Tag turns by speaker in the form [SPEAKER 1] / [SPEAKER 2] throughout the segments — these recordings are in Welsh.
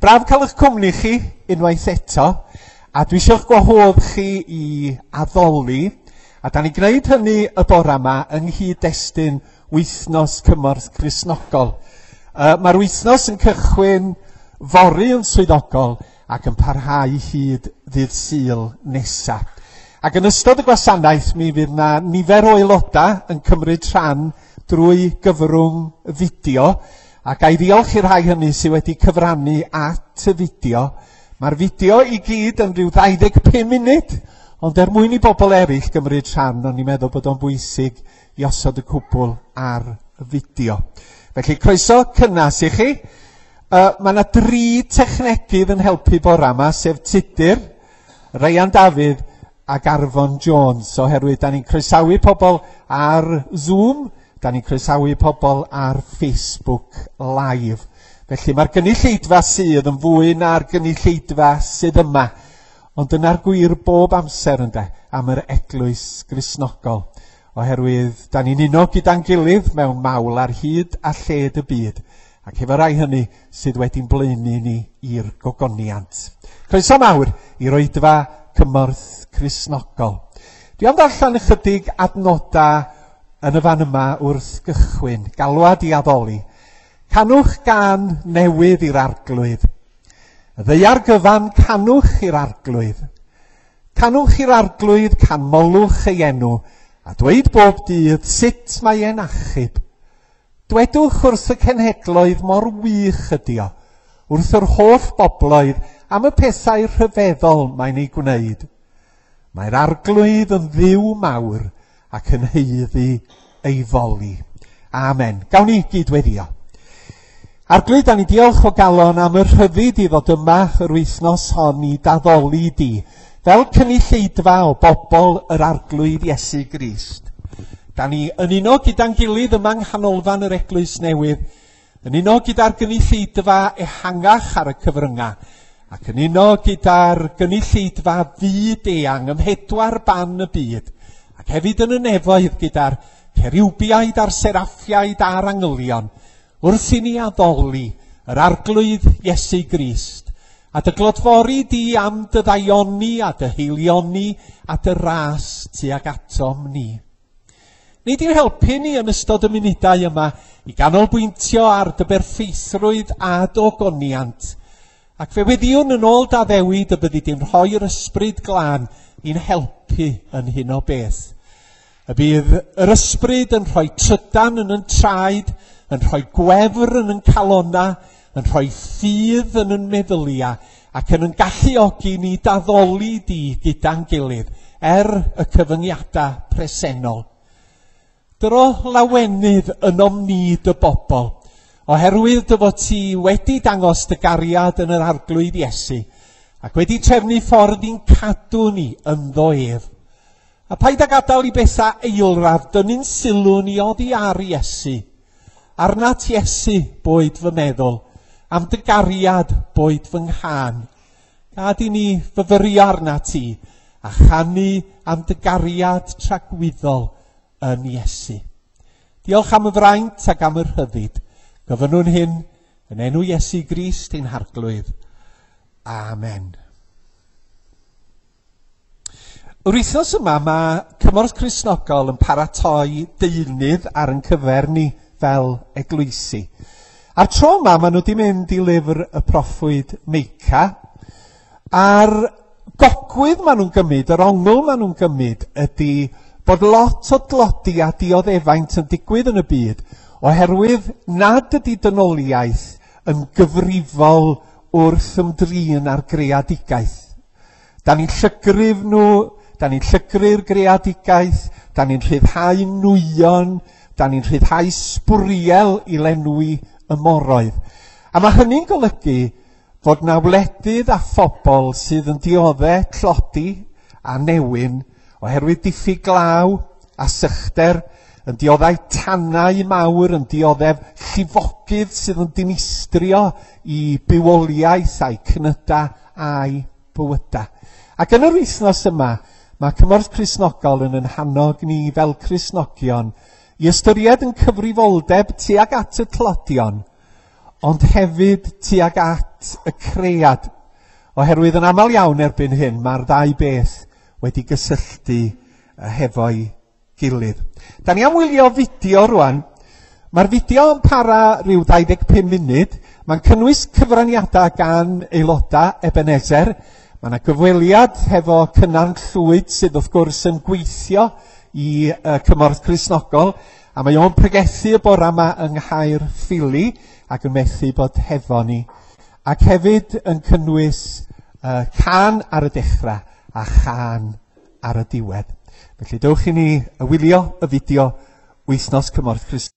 [SPEAKER 1] Braf cael eich cwmni chi unwaith eto, a dwi eisiau'ch gwahodd chi i addoli, a da ni'n gwneud hynny y bore yma yng nghyd-destun Wythnos Cymorth Cristnogol. Mae'r wythnos yn cychwyn fory yn swyddogol ac yn parhau hyd ddydd Sul nesa. Ac yn ystod y gwasanaeth mi fydd na nifer o aelodau yn cymryd rhan drwy gyfrwng fideo, a ga i ddiolch i'r rhai hynny sydd wedi cyfrannu at y fideo. Mae'r fideo i gyd yn rhyw 25 munud, ond er mwyn i bobl eraill gymryd rhan, o'n i'n meddwl bod o'n bwysig i osod y cwbl ar y fideo. Felly, croeso cynnas i chi. Mae yna dri technegydd yn helpu bora yma, sef Tudur, Ryan Dafydd ac Arfon Jones, oherwydd da ni'n croesawu pobl ar Zoom, da ni'n croesawu pobl ar Facebook Live. Felly mae'r gynulleidfa sydd yn fwy na'r gynulleidfa sydd yma, ond dyna'r gwir bob amser ynde, am yr eglwys Gristnogol, oherwydd da ni'n uno gyda'n gilydd mewn mawl ar hyd a lled y byd, ac efo rai hynny sydd wedi'n blaenu ni i'r gogoniant. Croeso mawr i'r oedfa Cymorth Cristnogol. Dwi am ddarllen ychydig adnodau yn y fan yma wrth gychwyn, galwad i addoli. Canwch gân newydd i'r Arglwydd. Y ddaear gyfan, canwch i'r Arglwydd. Canwch i'r Arglwydd, canmolwch ei enw, a dweud bob dydd sut mae e'n achub. Dwedwch wrth y cenhedloedd mor wych ydi o, wrth yr holl bobloedd am y pethau rhyfeddol mae'n ei gwneud. Mae'r Arglwydd yn Dduw mawr ac yn haeddu ei foli. Amen. Gawn ni gyd-weddïo. Arglwydd, da ni diolch o galon am y rhyddid i ddod yma yr wythnos hon i d'addoli di, fel cynulleidfa o bobl yr Arglwydd Iesu Grist. Da ni yn uno gyda'n gilydd yma yng nghanolfan yr Eglwys Newydd, yn uno gyda'r gynulleidfa ehangach ar y cyfryngau, ac yn uno gyda'r gynulleidfa fyd-eang ym mhedwar ban y byd, ac hefyd yn y nefoedd gyda'r ceriwbiaid a'r seraffiaid a'r angylion, wrth i ni addoli yr Arglwydd Iesu Grist, a dy glodfori di am dy ddaioni a dy haelioni a dy ras tuag atom ni. Nid i'n helpu ni yn ystod y munudau yma i ganolbwyntio ar dy berffeithrwydd a dy ogoniant, ac fe weddïwn yn ôl d'addewid y byddi di'n rhoi'r Ysbryd Glân i'n helpu yn hyn o beth. Y bydd yr Ysbryd yn rhoi trydan yn yn traed, yn rhoi gwefr yn yn calonna, yn rhoi ffydd yn yn meddylia, ac yn yn galluogi ni d'addoli di gyda'n gilydd, er y cyfyngiadau presennol. Dyro lawenydd ynom ni dy bobl, oherwydd dy fod ti wedi dangos dy gariad yn yr Arglwydd Iesu, ac wedi trefnu ffordd i'n cadw ni ynddo ef. A paid â gadael i bethau eilradd dynnu'n sylw ni oddi ar Iesu. Arnat Iesu boed fy meddwl, am dy gariad boed fy nghân. Gad i ni fyfyrio arnat ti, a chanu am dy gariad tragwyddol yn Iesu. Diolch am y fraint ac am y rhyddid. Gofynnwn hyn yn enw Iesu Grist ein Harglwydd. Amen. Yr wythnos yma mae Cymorth Cristnogol yn paratoi deunydd ar ein cyfer ni fel eglwysi. A'r tro yma maen nhw wedi mynd i lyfr y proffwyd Meica, a'r gogwydd maen nhw'n gymryd, yr ongl maen nhw'n gymryd ydy bod lot o dlodi a dioddefaint yn digwydd yn y byd oherwydd nad ydy dynoliaeth yn gyfrifol wrth ymdrin â'r greadigaeth. Da ni'n llygryf nhw, da ni'n llygru'r greadigaeth, da ni'n rhyddhau nwyon, da ni'n rhyddhau sbwriel i lenwi y moroedd. A mae hynny'n golygu fod na wledydd a phobl sydd yn diodde tlodi a newyn oherwydd diffyg glaw a sychder, yn dioddau tanau mawr, yn dioddef llifogydd sydd yn dinistrio i bywoliaeth a'i cnyda a'i bywydau. Ac yn yr wythnos yma, mae Cymorth Cristnogol yn yn hannog ni fel Cristnogion i ystyried yn cyfrifoldeb tuag at y tlodion, ond hefyd tuag at at y cread, oherwydd yn aml iawn erbyn hyn mae'r ddau beth wedi gysylltu hefo'i gilydd. Da ni am wylio fideo rwan. Mae'r fideo yn para rhyw 25 munud. Mae'n cynnwys cyfraniadau gan aelodau Ebenezer. Mae yna gyfweliad hefo Cynan Llwyd sydd wrth gwrs yn gweithio i Cymorth Cristnogol, a mae o'n pregethu y bore yma yng Nghaerffili ac yn methu bod hefo ni. Ac hefyd yn cynnwys cân ar y dechrau a chân ar y diwedd. Felly dewch i ni wylio y fideo Wythnos Cymorth Cristnogol.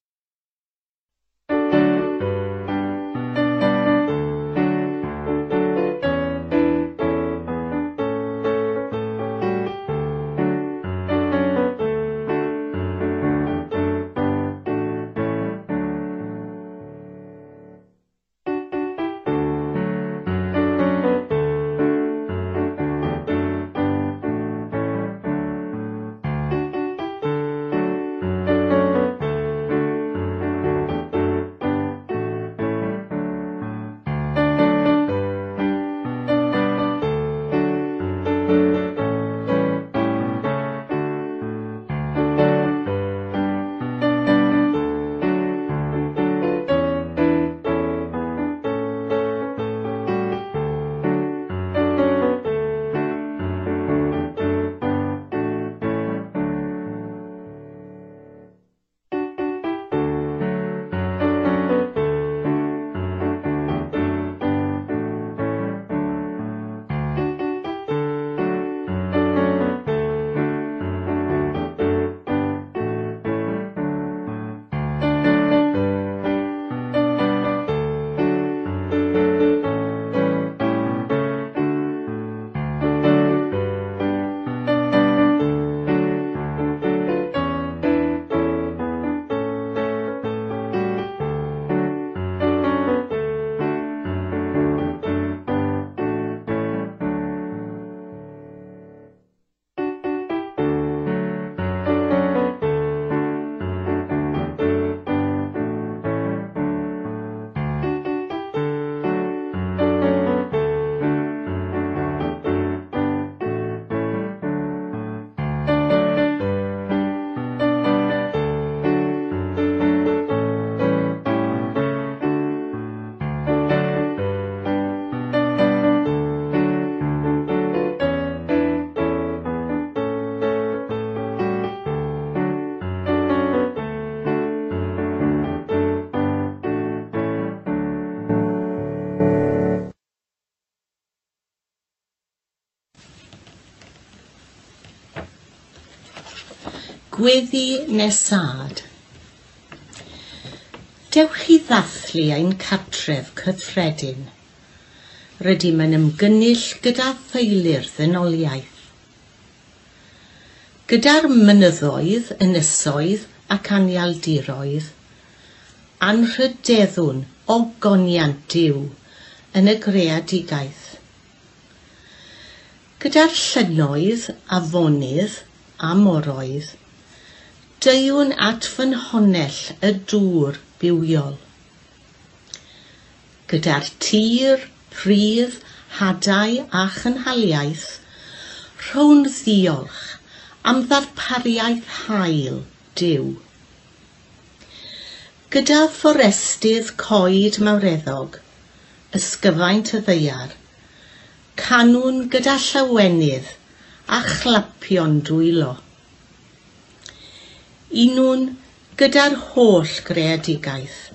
[SPEAKER 2] Gweddi nesad. Dewch i ddathlu ein cartref cyffredin. Rydym yn ymgynnull gyda theulu'r ddynoliaeth. Gyda'r mynyddoedd, ynysoedd ac anialdiroedd, anrhydeddwn ogoniant Duw yn y greadigaeth. Gyda'r llynnoedd, afonydd a moroedd, deuwn at ffynhonnell y dŵr bywiol. Gyda'r tir, pridd, hadau a chynhaliaeth, rhown ddiolch am ddarpariaeth hael Duw. Gyda fforestydd coed mawreddog, ysgyfaint y ddaear, canwn gyda llawenydd a chlapio'n dwylo. Unwn gyda'r holl greadigaeth,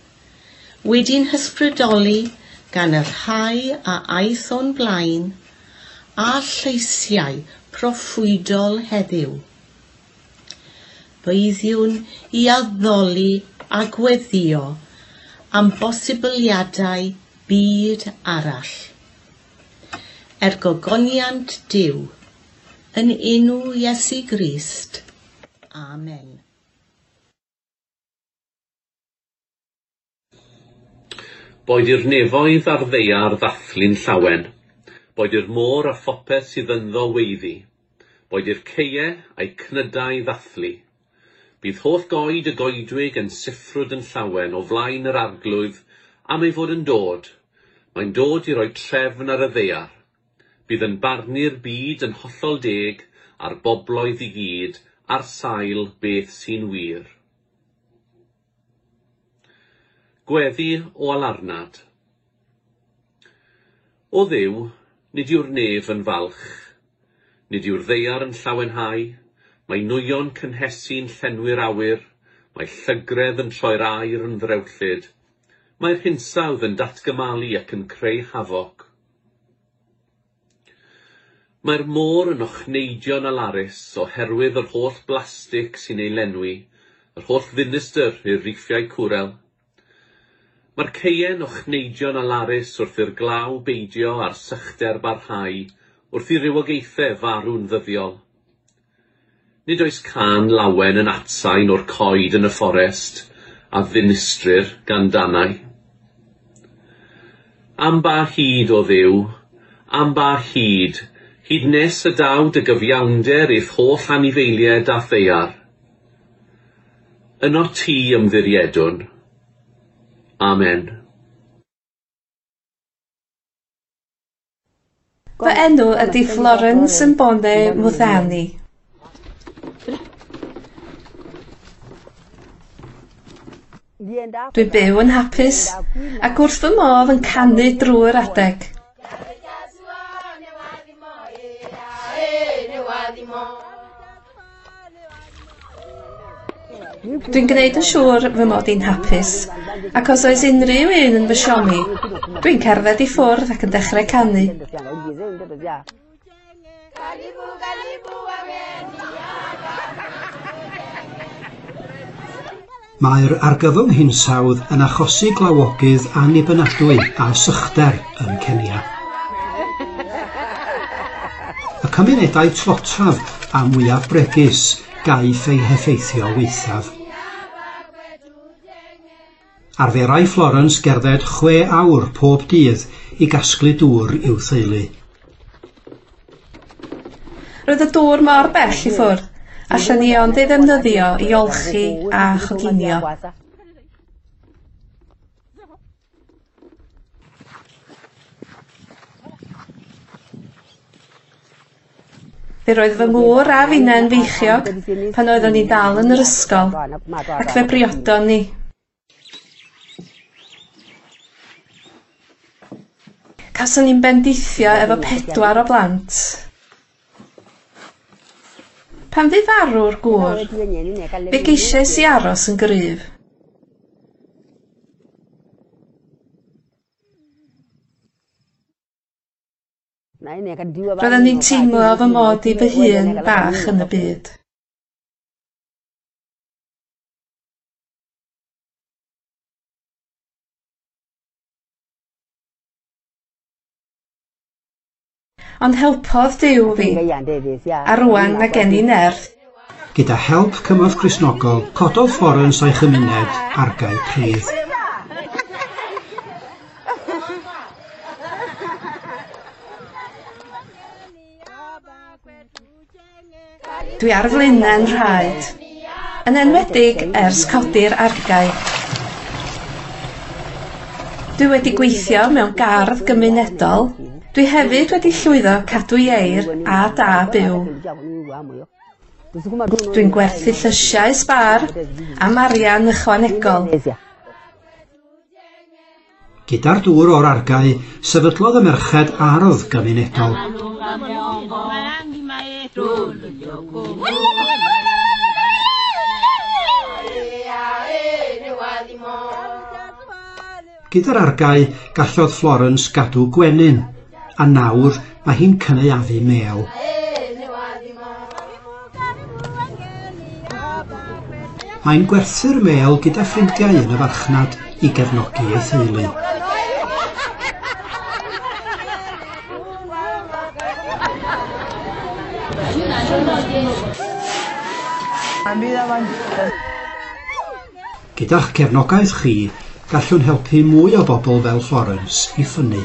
[SPEAKER 2] wedi'n hysbrydoli gan y rhai a aeth o'n blaen a lleisiau proffwydol heddiw. Byddwn i addoli a gweddio am bosibiliadau byd arall. Er gogoniant Duw, yn enw Iesu Grist. Amen.
[SPEAKER 3] Boed i'r nefoedd a'r ddaear ddathlu'n llawen, boed i'r môr a phopeth sydd ynddo weiddi, boed i'r caeau a'i cnydau ddathlu. Bydd holl goed y goedwig yn siffrwd yn llawen o flaen yr arglwydd am ei fod yn dod. Mae'n dod i roi trefn ar y ddaear. Bydd yn barnu'r byd yn hollol deg a'r bobloedd i gyd ar sail beth sy'n wir. Gweddi o alarnad. O Dduw, nid yw'r nef yn falch. Nid yw'r ddaear yn llawenhau. Mae nwyon cynhesu'n llenwi'r awyr. Mae llygredd yn troi'r aer yn ddrewllyd. Mae'r hinsawdd yn datgymalu ac yn creu hafoc. Mae'r môr yn ochneidio'n alarus oherwydd yr holl blastig sy'n ei lenwi, yr holl ddinistr i'r riffiau cwrel. Mae'r caeau'n ochneidio'n alarus wrth i'r glaw beidio a'r sychder barhau, wrth i rywogaethau farw'n ddyddiol. Nid oes cân lawen yn atsain o'r coed yn y fforest a ddinistrir gan danau. Am ba hyd, O Dduw, am ba hyd, hyd nes y daw dy gyfiawnder i'th holl anifeiliaid a'th ddaear. Yno ti ymddiriedwn. Amen.
[SPEAKER 4] Fy enw ydy Florence Mbone Muthani. Dwi'n byw yn hapus ac wrth fy modd yn canu drwy'r adeg. Dwi'n gwneud yn siŵr fy mod i'n hapus, ac os oes unrhyw un yn fy siomi, dwi'n cerdded i ffwrdd ac yn dechrau canu.
[SPEAKER 5] Mae'r argyfwng hinsawdd yn achosi glawogydd annibynadwy a sychder yn Kenya. Y cymunedau tlotaf a mwyaf bregus gaiff eu heffeithio waethaf. Arferai Florence gerdded 6 awr pob dydd i gasglu dŵr i'w theulu.
[SPEAKER 4] Roedd y dŵr mor bell i ffwrdd, allan ni ond ei ddefnyddio i olchi a choginio. Fe roedd fy ngŵr a finnau'n feichiog pan oeddwn ni dal yn yr ysgol, ac fe briodon ni. Cawson ni'n bendithio efo 4 o blant. Pan fu farw'r gŵr, fe geisiais i aros yn gryf. Roeddwn i'n teimlo fy mod i fy hun bach yn y byd. Ond helpodd Duw fi, a rŵan mae gen i nerth.
[SPEAKER 5] Gyda help Cymorth Cristnogol, cododd Florence a'i chymuned argae pridd.
[SPEAKER 4] Dwi ar flaenau'n rhaed, yn enwedig ers codi'r argae. Dwi wedi gweithio mewn gardd gymunedol. Dwi hefyd wedi llwyddo cadw ieir a da byw. Dwi'n gwerthu llysiau sbâr am arian ychwanegol.
[SPEAKER 5] Gyda'r dŵr o'r argae, sefydlodd y merched ardd gymunedol. Gyda'r argae, gallodd Florence gadw gwenyn, a nawr mae hi'n cynaeafu mêl. Mae'n gwerthu'r mêl gyda ffrindiau yn y farchnad i gefnogi ei theulu. Gyda'ch cefnogaeth chi, gallwn helpu mwy o bobl fel Florence i ffynnu.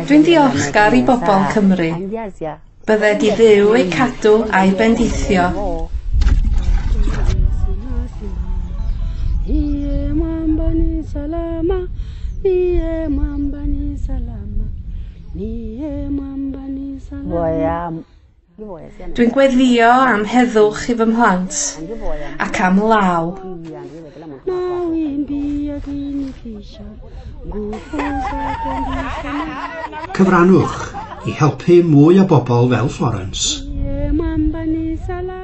[SPEAKER 4] Dwi'n diolchgar i bobl Cymru. Bydded i Dduw eu cadw a'i bendithio.
[SPEAKER 6] mwamba ni salama, niye mwamba ni salama, niye mwamba ni salama.
[SPEAKER 4] Dwi'n gweddïo am heddwch i fy mhlant ac am law.
[SPEAKER 6] Mawimbi yakinitisha, nguvu zake ndi
[SPEAKER 5] Cyfrannwch i helpu mwy o bobl fel Florence.
[SPEAKER 6] Niye mwamba ni salama.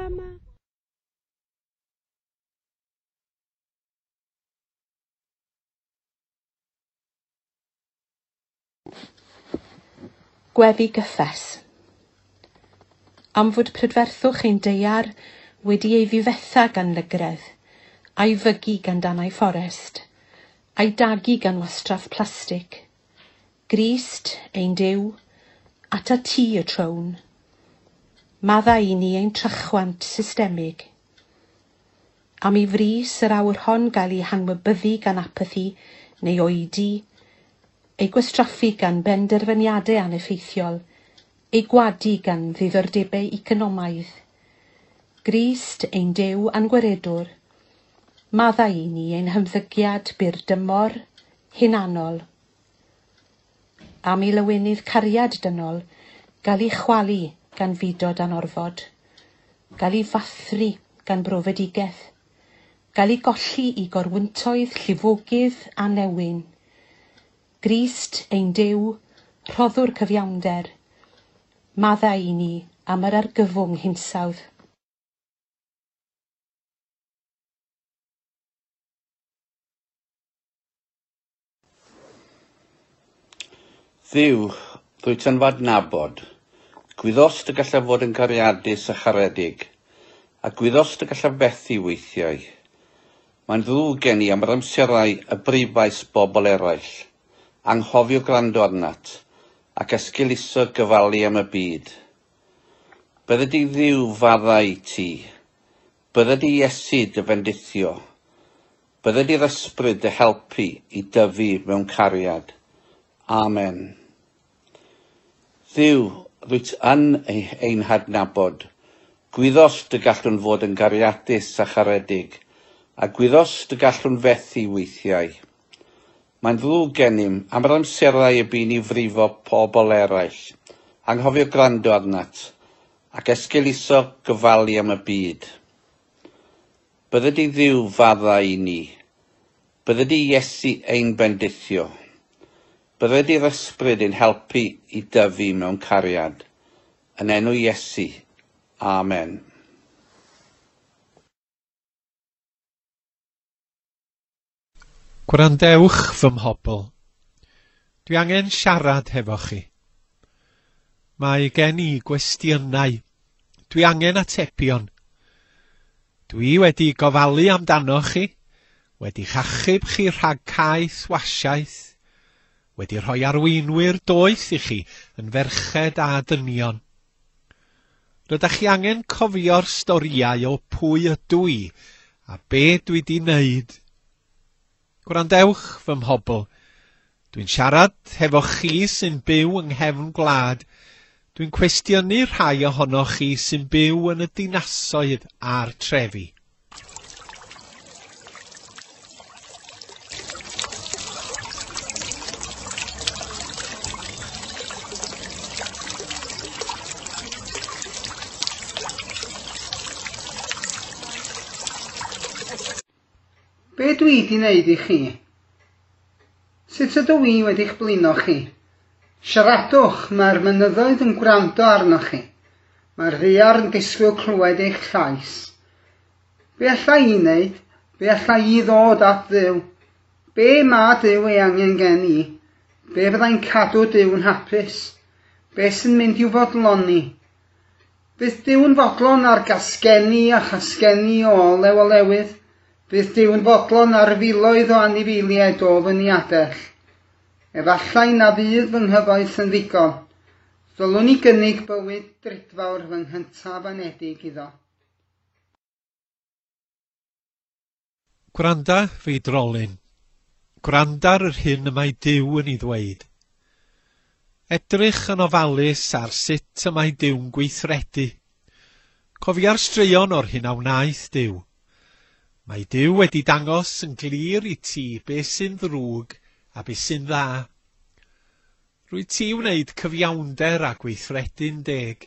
[SPEAKER 7] Gweddi gyffes. Am fod prydferthwch ein daear wedi ei ddifetha gan lygredd, a'i fygu gan danau fforest, a'i dagu gan wastraff plastig. Grist, ein Duw, atat ti y trown. Maddau i ni ein trachwant systemig. Am i frys yr awr hon gael ei hanwybyddu gan apathi neu oedi, ei gwastraffu gan benderfyniadau aneffeithiol, ei gwadu gan ddiddordebau economaidd. Grist, ein Duw a'n gwaredwr, maddau i ni ein hymddygiad byr dymor, hunanol. Am i lawenydd cariad dynol gael ei chwalu gan fudo dan orfod, gael ei fathru gan brofedigaeth, gael ei golli i gorwyntoedd llifogydd a newyn. Grist, ein Duw, rhoddwr cyfiawnder, maddau i ni am yr argyfwng hinsawdd.
[SPEAKER 8] Dduw, ddwyt yn f'adnabod, gwyddost y gallaf fod yn gariadus a charedig, a gwyddost y gallaf fethu weithiau. Mae'n ddrwg gen i am yr amserau y brifais bobl eraill, anghofio gwrando arnat, ac esgeuluso gyfalu am y byd. Bydde di Dduw faddau i ti, bydde di Iesu dy fendithio, bydde di'r ysbryd dy helpu i dyfu mewn cariad. Amen. Dduw, rwyt yn ein hadnabod. Gwyddost y gallwn fod yn gariadus a charedig, a gwyddost y gallwn fethu weithiau. Mae'n ddrwg gennym am yr amserau y bu ni frifo pobl eraill, anghofio gwrando arnat, ac esgeuluso gyfalu am y byd. Bydde di Dduw faddau i ni, bydde di Iesu ein bendithio, bydde di'r ysbryd ein helpu i dyfu mewn cariad. Yn enw Iesu. Amen.
[SPEAKER 1] Gwrandewch fy mhobl. Dwi angen siarad hefo chi. Mae gen i gwestiynau. Dwi angen atebion. Dwi wedi gofalu amdanoch chi, wedi chachub chi rhag caeth wasiaeth, wedi rhoi arweinwyr doeth i chi yn ferched a dynion. Rydych chi angen cofio'r storïau o pwy ydw i a be dwi di wneud. Gwrandewch fy mhobl. Dwi'n siarad hefo chi sy'n byw yng nghefn gwlad. Dwi'n cwestiynu rhai ohonoch chi sy'n byw yn y dinasoedd a'r trefi.
[SPEAKER 9] Be dwi di wneud i chi? Sut ydw i wedi'ch blino chi? Siaradwch, mae'r mynyddoedd yn gwrando arnoch chi. Mae'r ddaear yn disgwyl clywed eich llais. Be alla i wneud? Be alla i ddod at Dduw? Be ma Duw ei angen gen i? Be fyddai'n cadw Duw'n hapus? Be sy'n mynd i'w fodloni? Bydd Duw'n fodlon ar gasgenni a chasgenni o olew olewydd? Bydd Duw'n fodlon ar filoedd o anifeiliaid o fy niadell. Efallai na fydd fy nghyfoeth yn ddigon. Ddylwn i gynnig bywyd drudfawr fy nghyntaf anedig iddo.
[SPEAKER 1] Gwranda fi drolyn. Gwranda ar yr hyn y mae Duw yn ei ddweud. Edrych yn ofalus ar sut y mae Duw'n gweithredu. Cofia'r straeon o'r hyn a wnaeth Duw. Mae Duw wedi dangos yn glir i ti beth sy'n ddrwg a beth sy'n dda. Rwy ti wneud cyfiawnder a gweithredu'n deg.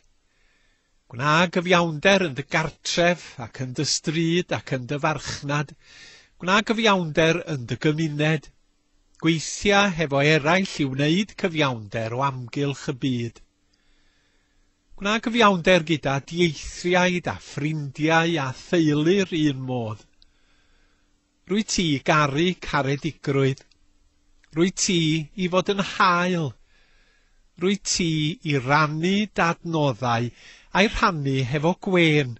[SPEAKER 1] Gwna gyfiawnder yn dy gartref ac yn dy stryd ac yn dy farchnad. Gwna gyfiawnder yn dy gymuned. Gweithia hefo eraill i wneud cyfiawnder o amgylch y byd. Gwna gyfiawnder gyda dieithriaid a ffrindiau a theulu'r un modd. Rwy ti garu caredigrwydd. Rwy ti i fod yn hael. Rwy ti i rannu dadnoddau a'i rhannu hefo gwên.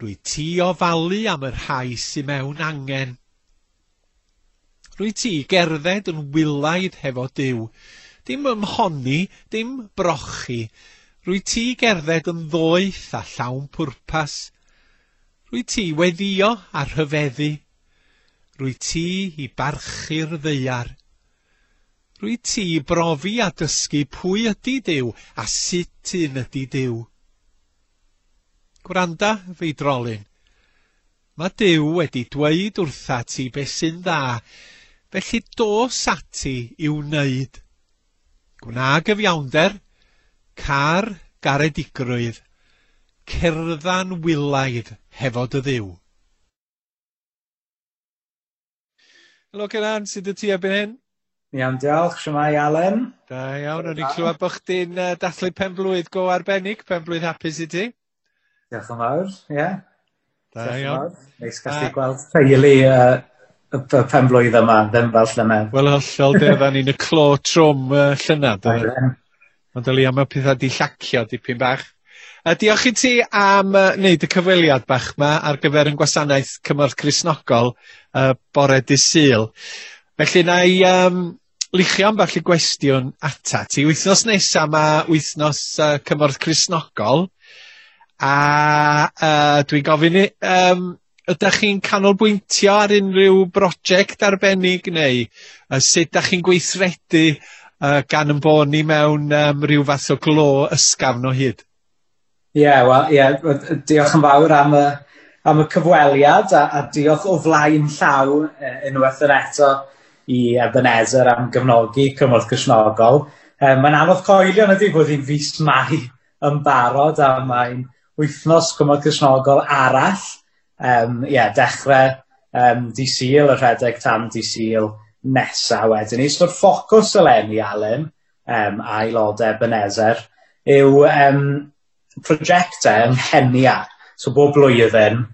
[SPEAKER 1] Rwy ti ofalu am y rhai sy mewn angen. Rwy ti gerdded yn wylaidd hefo Duw. Dim ymhonni, dim brochi. Rwy ti gerdded yn ddoeth a llawn pwrpas. Rwy ti weddio a rhyfeddu. Rwy ti i barchu'r ddaear. Rwy ti brofi a dysgu pwy ydy Duw a sut un ydy Duw. Gwranda, feidrolyn. Mae Duw wedi dweud wrtha ti beth sy'n dda, felly dos ati i'w wneud. Gwna gyfiawnder, car garedigrwydd, cerdda'n wylaidd hefo dy Dduw. Helo Cynan, sut y ti erbyn hyn?
[SPEAKER 10] Iawn, diolch. Shwmae, Alan?
[SPEAKER 1] Da iawn, o'n i'n clywed bod chdi'n dathlu pen-blwydd go arbennig, pen-blwydd hapus i ti.
[SPEAKER 10] Diolch yn fawr, ie. Yeah.
[SPEAKER 1] Da iawn.
[SPEAKER 10] Neis gallu gweld teulu y pen-blwydd yma, ddim fel llynedd.
[SPEAKER 1] Wel, hollol, de, oedden ni'n y clo trwm llynedd. Ond o leia mae pethau di llacio dipyn bach. Diolch i ti am wneud y cyfweliad bach ma ar gyfer yn gwasanaeth Cymorth Cristnogol bore dydd Sul. Felly na i luchio ambell i gwestiwn ata ti. Wythnos nesa mae wythnos Cymorth Cristnogol a dwi'n gofyn i, ydych chi'n canolbwyntio ar unrhyw brosiect arbennig neu sut ydych chi'n gweithredu gan yn bod ni mewn rhyw fath o glo ysgafn o hyd?
[SPEAKER 10] Ie, yeah, wel, yeah, diolch yn fawr am y cyfweliad a diolch o flaen llaw unwaith yn eto i Ebenezer am gefnogi Cymorth Cristnogol. Mae'n anodd coelio yn ydy bod hi'n fis Mai yn barod a mae'n wythnos Cymorth Cristnogol arall. Dechrau dydd Sul, y rhedeg tan dydd Sul nesa wedyn ni. So'r ffocws eleni, Alan, a aelodau Ebenezer, yw prosiectau yng Nghenia. So bob blwyddyn,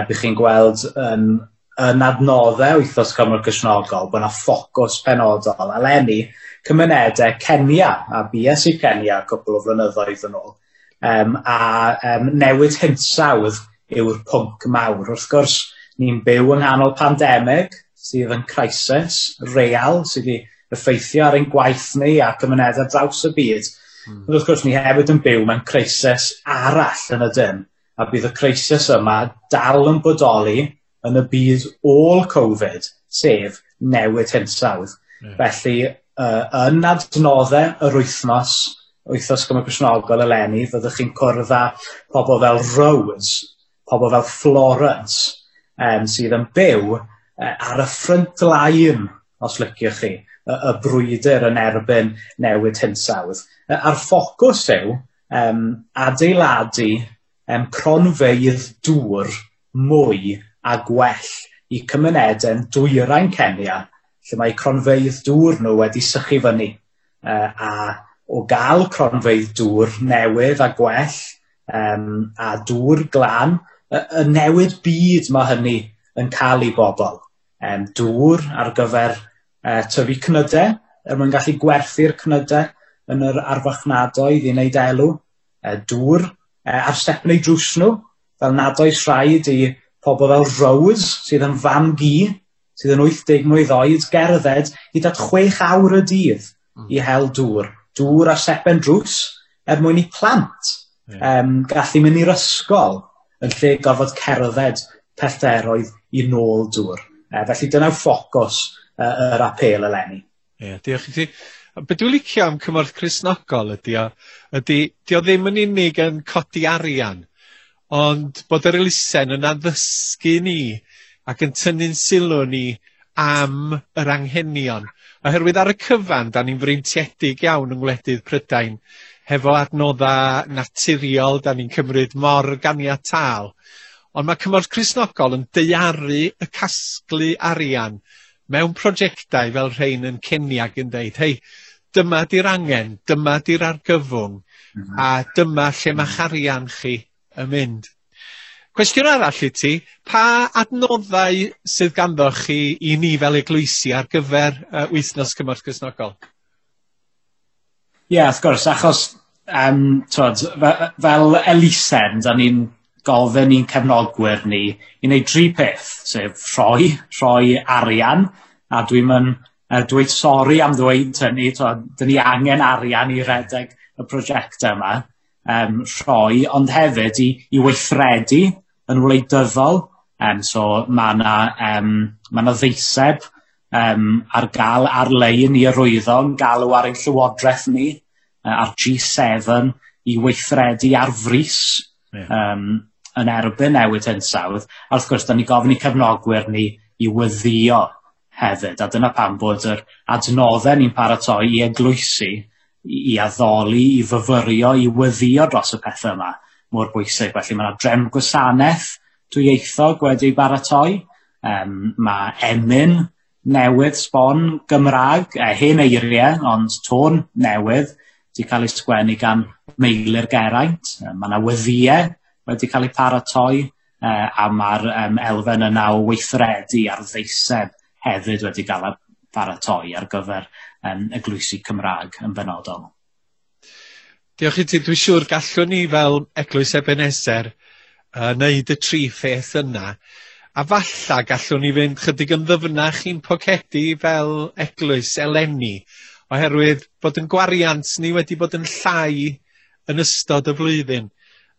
[SPEAKER 10] bych chi'n gweld yn adnoddau wythnos Cymorth Cristnogol bod yna ffocws penodol. Eleni, cymunedau Kenya, a bues i Kenya cwpl o flynyddoedd yn ôl, a newid hinsawdd yw'r pwnc mawr. Wrth gwrs, ni'n byw yng nghanol pandemig sydd yn crisis real, sydd wedi effeithio ar ein gwaith ni a cymunedau draws y byd. Ond wrth gwrs, ni hefyd yn byw mewn crisis arall yn y dyn, a bydd y crisis yma dal yn bodoli yn y byd ôl Covid, sef newid hinsawdd. Yeah. Felly, yn adnoddau yr wythnos Cymorth Cristnogol eleni, fyddwch chi'n cwrdd â pobl fel Rose, pobl fel Florence, sydd yn byw ar y front line, os liciwch chi, y brwydr yn erbyn newid hinsawdd. A'r ffocws yw adeiladu cronfeydd dŵr mwy a gwell i cymunedau dwyrain Kenya, lle mae cronfeydd dŵr nhw wedi sychu fyny. A o gael cronfeydd dŵr newydd a gwell a dŵr glân, y newid byd mae hynny yn cael i bobl. Dŵr ar gyfer tyfu cnydau, er mwyn gallu gwerthu'r cnydau yn yr arfarchnadoedd i wneud elw. Dŵr ar step neu drws nhw, fel nad oes rhaid i pobl fel Rose, sydd yn fam gi, sydd yn 80 mlwydd oed, gerdded hyd at 6 awr y dydd i hel dŵr. Dŵr ar stepen drws er mwyn i plant gallu mynd i'r ysgol yn lle gorfod cerdded pellteroedd i nôl dŵr. Felly dyna'r ffocws yr apêl eleni.
[SPEAKER 1] Ie, diolch i ti. Be dwi'n licio am Cymorth Cristnogol ydy o ddim yn unig yn codi arian, ond bod yr elusen yn addysgu ni ac yn tynnu'n sylw ni am yr anghenion. Oherwydd ar y cyfan, da ni'n freintiedig iawn yng ngwledydd Prydain, hefo adnoddau naturiol, da ni'n cymryd mor ganiataol. Ond mae Cymorth Cristnogol yn daearu y casglu arian mewn prosiectau fel rhain yn Kenya ac yn deud, hei, dyma di'r angen, dyma di'r argyfwng, a dyma lle mae'ch arian chi yn mynd. Cwestiwn arall i ti, pa adnoddau sydd ganddo chi i ni fel eglwysi ar gyfer Wythnos Cymorth Cristnogol?
[SPEAKER 10] Ie, yeah, wrth gwrs, achos twod, fel elusen, da ni'n gofyn i'n cefnogwyr ni i wneud tri peth, sef rhoi arian, a dwi'n mynd dweud sori am ddweud hynny, twod, da ni angen arian i redeg y prosiectau yma, rhoi, ond hefyd i weithredu yn wleidyddol. So mae yna ddeiseb ar gael ar-lein i arwyddo yn galw ar ein llywodraeth ni, ar G7 i weithredu ar frys yn erbyn newid hinsawdd. A wrth gwrs, da ni gofyn i cefnogwyr ni i weddïo hefyd, a dyna pam bod yr adnoddau ni'n paratoi i eglwysi, i addoli, i fyfyrio, i weddïo dros y pethau yma mor bwysig. Felly mae yna drefn gwasanaeth dwyieithog wedi ei baratoi, mae emyn newydd sbon Gymraeg, hen eiriau, ond tôn newydd, wedi cael ei sgwennu gan Meilir Geraint. Mae yna weddïau wedi cael ei paratoi, a mae'r elfen yna o weithredu ar ddeiseb hefyd wedi cael ei paratoi ar gyfer eglwysi Cymraeg yn benodol.
[SPEAKER 1] Diolch i ti. Dwi'n siŵr gallwn ni fel Eglwys Ebenezer wneud y tri pheth yna. A falla gallwn ni fynd chydig yn ddyfnach i'n pocedi fel eglwys eleni, oherwydd bod yn gwariant ni wedi bod yn llai yn ystod y flwyddyn,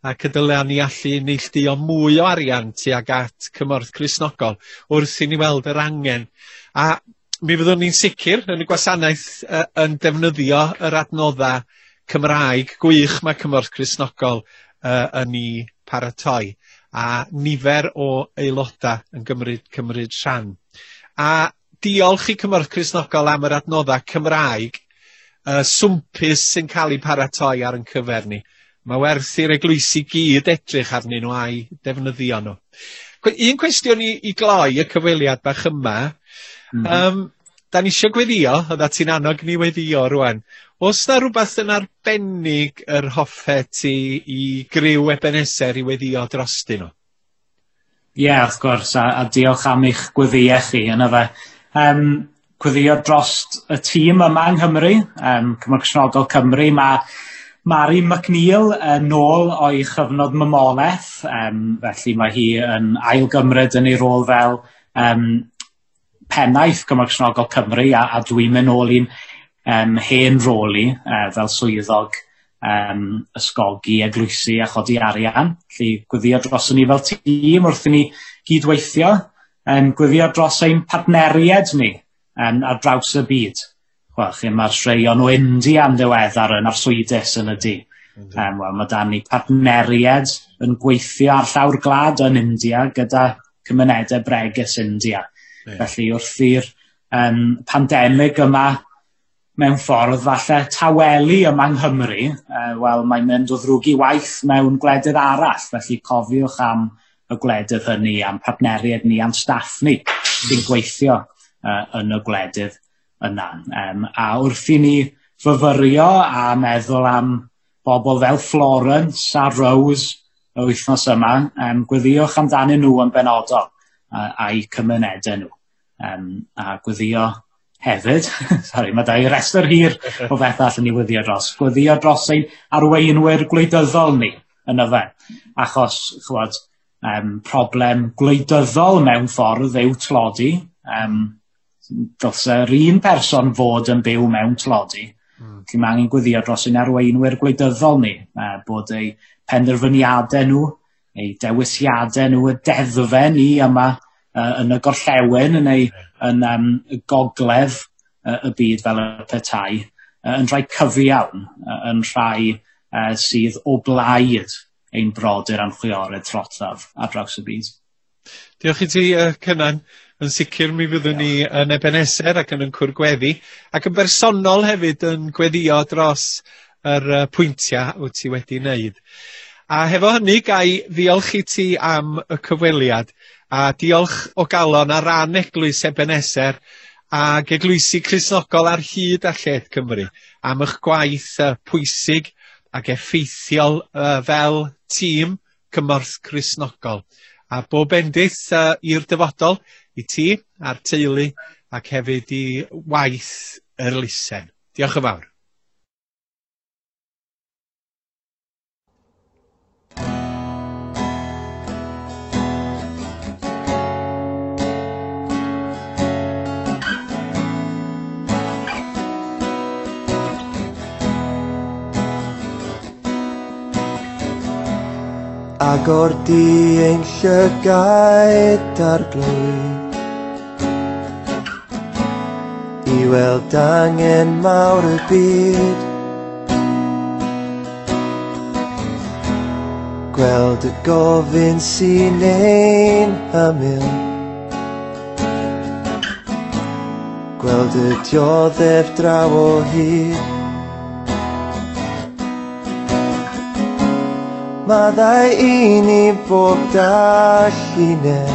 [SPEAKER 1] ac y dylia ni allu neilltuo mwy o arian tuag at Cymorth Cristnogol wrth i ni weld yr angen. A mi fyddwn ni'n sicr yn y gwasanaeth yn defnyddio yr adnoddau Cymraeg gwych mae Cymorth Cristnogol yn ei paratoi, a nifer o aelodau yn cymryd rhan. A diolch i Cymorth Cristnogol am yr adnoddau Cymraeg swmpus sy'n cael ei paratoi ar ein cyfer ni. Mae werth i'r eglwysi gyd edrych arnyn nhw a'i defnyddio nhw. Un cwestiwn i gloi y cyfweliad bach yma. Da ni eisiau gweddio, oedda ti'n annog ni weddio rwan. Oes na rhywbeth yn arbennig yr hoffet ti i griw Ebenezer i weddio drostyn nhw?
[SPEAKER 10] Ie, yeah, wrth gwrs, a diolch am eich gweddïau chi yna fe. Gweddio dros y tîm yma yng Nghymru, Cymorth Cristnogol Cymru. Mae Mari McNeil yn ôl o'i chyfnod mamolaeth, felly mae hi yn ailgymryd yn ei rôl fel pennaeth Cymorth Cristnogol Cymru, a dwi'n mynd nôl i'n hen rôl i fel swyddog ysgogi eglwysi a chodi arian. Felly gweddio dros ni fel tîm wrth i ni gydweithio, gweddio dros ein partneriaid ni ar draws y byd. Wel, chi, mae'r straeon o India yn ddiweddar yn arswydus yn y du. Wel, mae dan ni partneriaid yn gweithio ar llawr gwlad yn India gyda cymunedau bregus India. Yeah. Felly wrth i'r pandemig yma mewn ffordd falle tawelu yma yng Nghymru, wel, mae'n mynd o ddrwg i waith mewn gwledydd arall. Felly cofiwch am y gwledydd hynny, am partneriaid ni, am staff ni sy'n gweithio yn y gwledydd yna. A wrth i ni fyfyrio a meddwl am bobl fel Florence a Rose y wythnos yma, gweddiwch amdanyn nhw yn benodol a'u cymunedau nhw. A gweddio hefyd, sori, mae da i restr hir o bethau allan ni weddio dros. Gweddio dros ein arweinwyr gwleidyddol ni yn y fe. Achos, chwod, problem gwleidyddol mewn ffordd yw tlodi. Dylse'r un person fod yn byw mewn tlodi. Felly mae angen gweddio dros ein arweinwyr gwleidyddol ni, bod eu penderfyniadau nhw, eu dewisiadau nhw, y deddfau ni yma yn y gorllewin neu yn y gogledd y byd fel y petai, yn rhai cyfiawn, yn rhai sydd o blaid ein brodyr a'n chwiorydd trothaf ar draws y byd.
[SPEAKER 1] Diolch i ti, Cynan. Yn sicr mi fyddwn ni yn Ebeneser ac yn cwrdd gweddi, ac yn bersonol hefyd yn gweddio dros yr pwyntiau wyt ti wedi wneud. A hefo hynny, gai ddiolch i ti am y cyfweliad, a diolch o galon ar ran Eglwys Ebeneser ac Eglwysi Cristnogol ar hyd a lled Cymru am eich gwaith pwysig ac effeithiol fel tîm Cymorth Cristnogol. A bob bendith i'r dyfodol i ti a'r teulu ac hefyd i waith yr elusen. Diolch yn fawr.
[SPEAKER 11] Agor di ein llygaid arglwydd i weld angen mawr y byd, gweld y gofyn sy'n ein hymyl, gweld y dioddef draw o hyd. Maddau i ni bob dallineb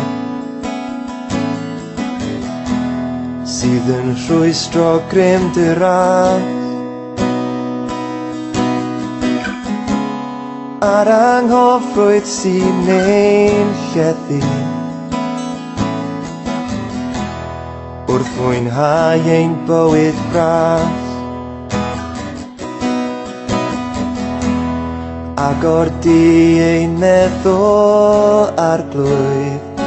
[SPEAKER 11] sydd yn rhwystro grym dy ras, a'r anghofrwydd sy'n ein llethu wrth fwynhau ein bywyd bras. Agor di ein meddwl arglwydd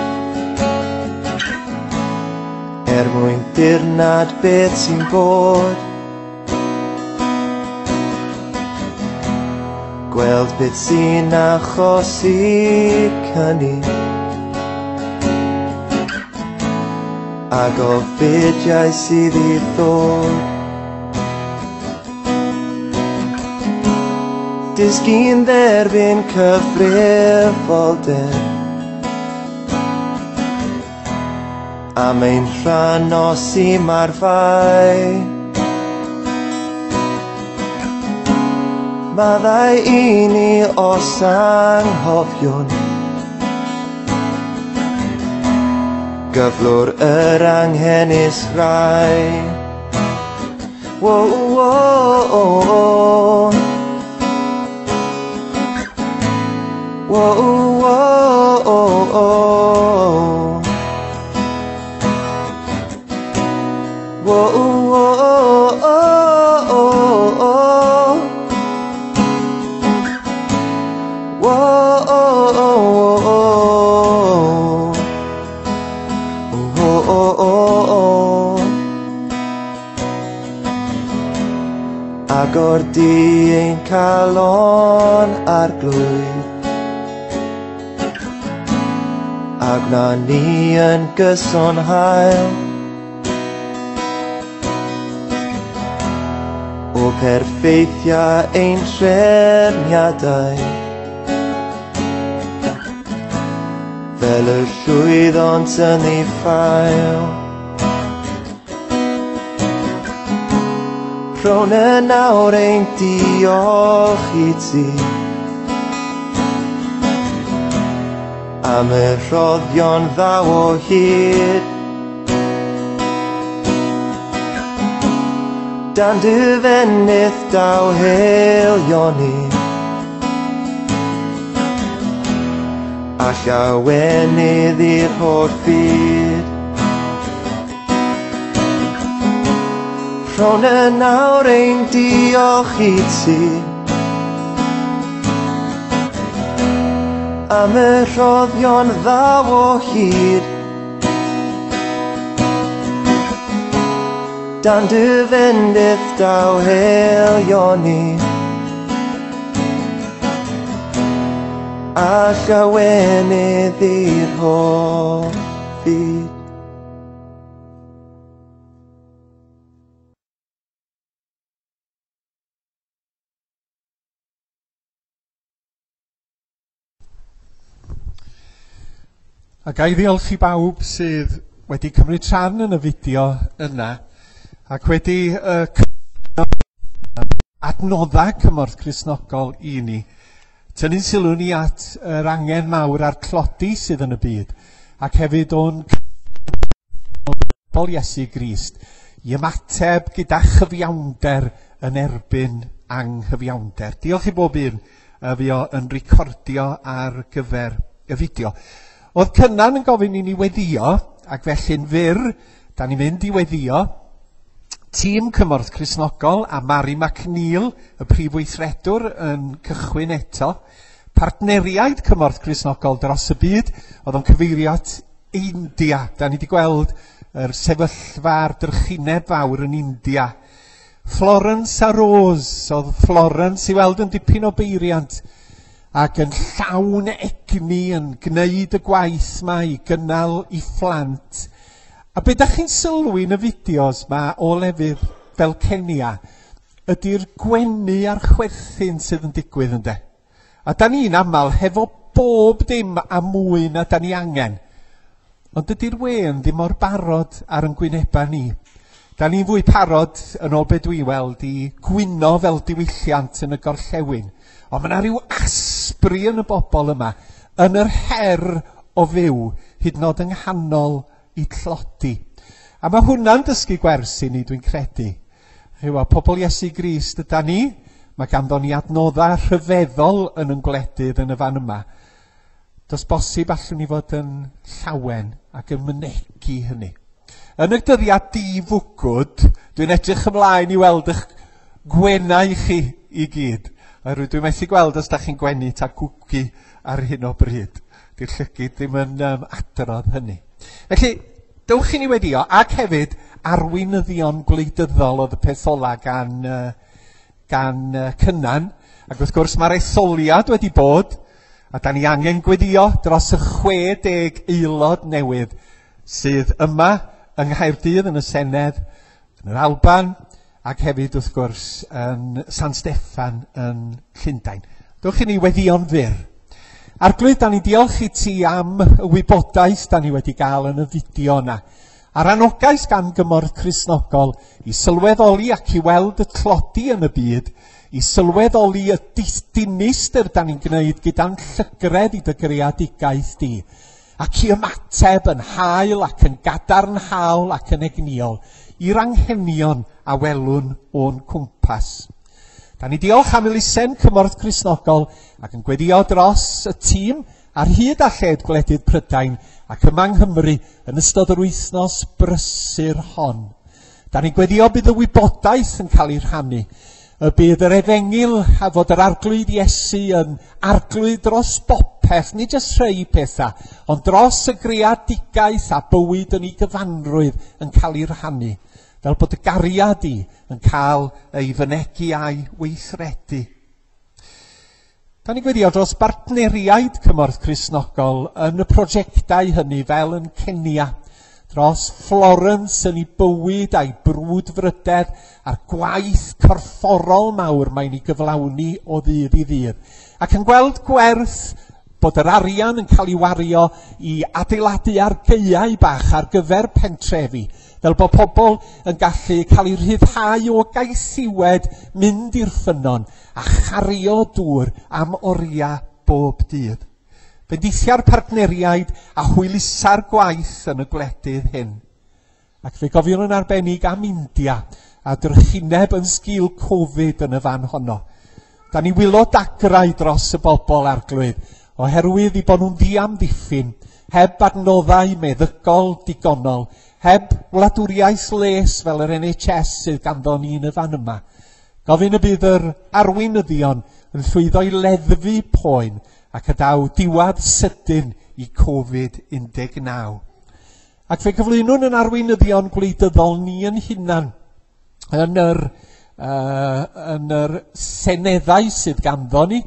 [SPEAKER 11] er mwyn dirnad beth sy'n bod, gweld beth sy'n achosi cyni a gofidiau sydd i ddod. Dysgu'n dderbyn cyfrifoldeb am ein rhan os i marfau. Maddau i ni os anghofiwn gyflwr yr anghenus rai. Wo, wo, oh, oh. Whoa, whoa, oh, oh. Whoa, whoa, oh, oh, oh. Whoa, oh, oh, oh. Oh, oh, oh, oh. Agor di ein calon arglwydd a gwna ni yn gyson hael o perffeithiau ein trefniadau fel y llwyddont yn ei ffael. Rhown yn awr ein diolch i ti am y rhoddion ddaw o hyd. Dan dy fenith daw haelioni a llawenydd i'r holl fyd. Rhown yn awr ein diolch i ti am y rhoddion ddaw o hyd. Dan dy fendith daw haelioni a llawenydd i'r holl fyd.
[SPEAKER 1] A ga i ddiolch i bawb sydd wedi cymryd rhan yn y fideo yna ac wedi adnoddau Cymorth Cristnogol i ni. Tynnu'n sylw ni at yr angen mawr a'r tlodi sydd yn y byd ac hefyd o'n bobl Iesu Grist i ymateb gyda chyfiawnder yn erbyn anghyfiawnder. Diolch i bob un fuo yn recordio ar gyfer y fideo. Oedd Cynan yn gofyn i ni weddio, ac felly'n fyr, da ni'n mynd i weddio. Tîm Cymorth Cristnogol a Mari McNeil, y prif weithredwr, yn cychwyn eto. Partneriaid Cymorth Cristnogol dros y byd, oedd o'n cyfeirio at India. Da ni wedi gweld yr sefyllfa a'r drychineb fawr yn India. Florence a Rose, oedd Florence i weld yn dipyn o beiriant ac yn llawn egni yn gwneud y gwaith ma i gynnal i phlant. A be dach chi'n sylwi yn y fideos ma o lefydd fel Kenya ydy'r gwenu a'r chwerthin sydd yn digwydd ynde. A da ni'n aml hefo bob dim a mwy na da ni angen. Ond dydy'r wên ddim mor barod ar yn gwyneba ni. Da ni'n fwy parod, yn ôl be dwi weld, i gwyno fel diwylliant yn y gorllewin. Ond mae yna rhyw asbri yn y bobl yma, yn yr her o fyw, hyd yn oed yng nghanol i tlodi. A mae hwnna'n dysgu gwers i ni, dwi'n credu. Chywa, pobl Iesu Grist yda ni, mae ganddo ni adnoddau rhyfeddol yn yn gwledydd yn y fan yma. Does bosib allwn ni fod yn llawen ac yn mynegi hynny. Yn y dyddiad di-fwgwd, dwi'n edrych ymlaen i weld eich gwenau chi i gyd. Oherwydd dwi'n methu gweld os da chi'n gwenu ta gwgu ar hyn o bryd. Di'r llygid ddim yn adrodd hynny. Felly, dewch i ni weddio, ac hefyd arweinyddion gwleidyddol oedd y peth ola gan Cynan. Ac wrth gwrs mae'r etholiad wedi bod, a da ni angen gweddio dros y 60 aelod newydd sydd yma yng Nghaerdydd yn y Senedd, yn yr Alban, ac hefyd wrth gwrs yn San Steffan yn Llundain. Dewch i ni weddïo'n fyr. Arglwydd, da ni'n diolch i ti am y wybodaeth da ni wedi gael yn y fideo yna. A'r anogaeth gan Gymorth Cristnogol i sylweddoli ac i weld y tlodi yn y byd, i sylweddoli y dinistr da ni'n gwneud gyda'n llygredd i dy greadigaeth di, ac i ymateb yn hael ac yn gadarnhaol ac yn egnïol i'r anghenion a welwn o'n cwmpas. Da ni diolch am elusen Cymorth Cristnogol ac yn gweddio dros y tîm ar hyd a lled gwledydd Prydain ac yma yng Nghymru yn ystod yr wythnos brysur hon. Da ni'n gweddio bydd y wybodaeth yn cael ei rhannu, y bydd yr efengyl a fod yr arglwydd Iesu yn arglwydd dros bopeth, nid jyst rhai pethau, ond dros y greadigaeth a bywyd yn ei gyfanrwydd yn cael ei rhannu, fel bod y gariad i yn cael ei fynegi a'i weithredu. Da ni'n gweddio dros bartneriaid Cymorth Cristnogol yn y prosiectau hynny fel yn Kenya, dros Florence yn ei bywyd a'i brwdfrydedd a'r gwaith corfforol mawr mae'n ei gyflawni o ddydd i ddydd, ac yn gweld gwerth bod yr arian yn cael ei wario i adeiladu argaeau bach ar gyfer pentrefi, fel bod pobl yn gallu cael eu rhyddhau o gaethiwed, mynd i'r ffynnon a chario dŵr am oriau bob dydd. Bendithia'r partneriaid a hwylusa'r gwaith yn y gwledydd hyn. Ac fe gofiwn yn arbennig am India a drychineb yn sgil Covid yn y fan honno. Da ni wylo dagrau dros y bobl arglwydd, oherwydd i bod nhw'n ddiamddiffyn, heb adnoddau meddygol digonol, heb wladwriaeth les fel yr NHS sydd ganddo ni yn y fan yma. Gofyn y bydd yr arweinyddion yn llwyddo i leddfu poen ac y daw diwedd sydyn i Covid-19. Ac fe gyflwynwn yn arweinyddion gwleidyddol ni yn hunan yn yr seneddau sydd ganddo ni.